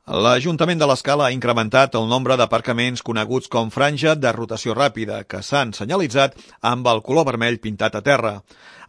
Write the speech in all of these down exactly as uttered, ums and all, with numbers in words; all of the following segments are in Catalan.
L'Ajuntament de l'Escala ha incrementat el nombre d'aparcaments coneguts com franja de rotació ràpida, que s'han senyalitzat amb el color vermell pintat a terra.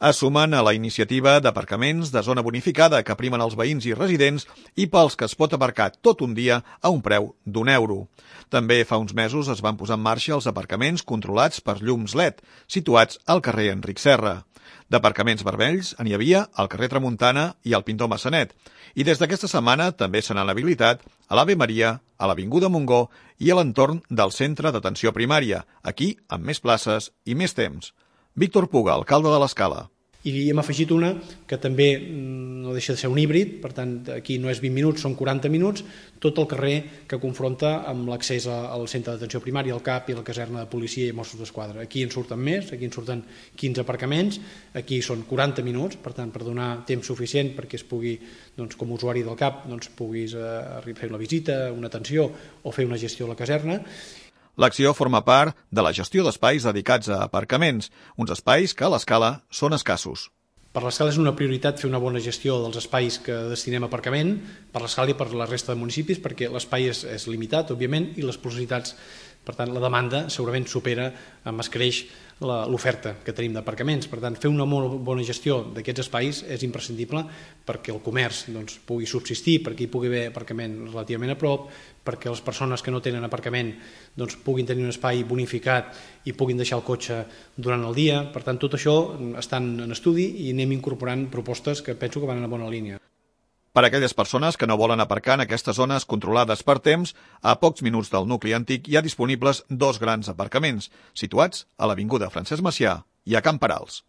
Es sumen a la iniciativa d'aparcaments de zona bonificada que primen els veïns i residents i pels que es pot aparcar tot un dia a un preu d'un euro. També fa uns mesos es van posar en marxa els aparcaments controlats per llums L E D, situats al carrer Enric Serra. D'aparcaments vermells n'hi havia al carrer Tramuntana i al Pintor Massanet, i des d'aquesta setmana també se n'han habilitat a l'Ave Maria, a l'Avinguda Montgó i a l'entorn del Centre d'Atenció Primària, aquí amb més places i més temps. Víctor Puga, alcalde de l'Escala. I hem afegit una que també no deixa de ser un híbrid, per tant aquí no és vint minuts, són quaranta minuts, tot el carrer que confronta amb l'accés al centre d'atenció primària, al CAP i la caserna de policia i Mossos d'Esquadra. Aquí en surten més, aquí en surten quinze aparcaments, aquí són quaranta minuts, per tant per donar temps suficient perquè es pugui, doncs, com a usuari del CAP, doncs, puguis eh, fer una visita, una atenció o fer una gestió a la caserna. L'acció forma part de la gestió d'espais dedicats a aparcaments, uns espais que a l'Escala són escassos. Per l'Escala és una prioritat fer una bona gestió dels espais que destinem a aparcament, per l'Escala i per la resta de municipis, perquè l'espai és, és limitat, òbviament, i les possibilitats, per tant, la demanda segurament supera, es creix l'oferta que tenim d'aparcaments. Per tant, fer una molt bona gestió d'aquests espais és imprescindible perquè el comerç doncs, pugui subsistir, perquè hi pugui haver aparcament relativament a prop, perquè les persones que no tenen aparcament doncs, puguin tenir un espai bonificat i puguin deixar el cotxe durant el dia. Per tant, tot això està en estudi i anem incorporant propostes que penso que van en la bona línia. Per a aquelles persones que no volen aparcar en aquestes zones controlades per temps, a pocs minuts del nucli antic hi ha disponibles dos grans aparcaments, situats a l'Avinguda Francesc Macià i a Can Perals.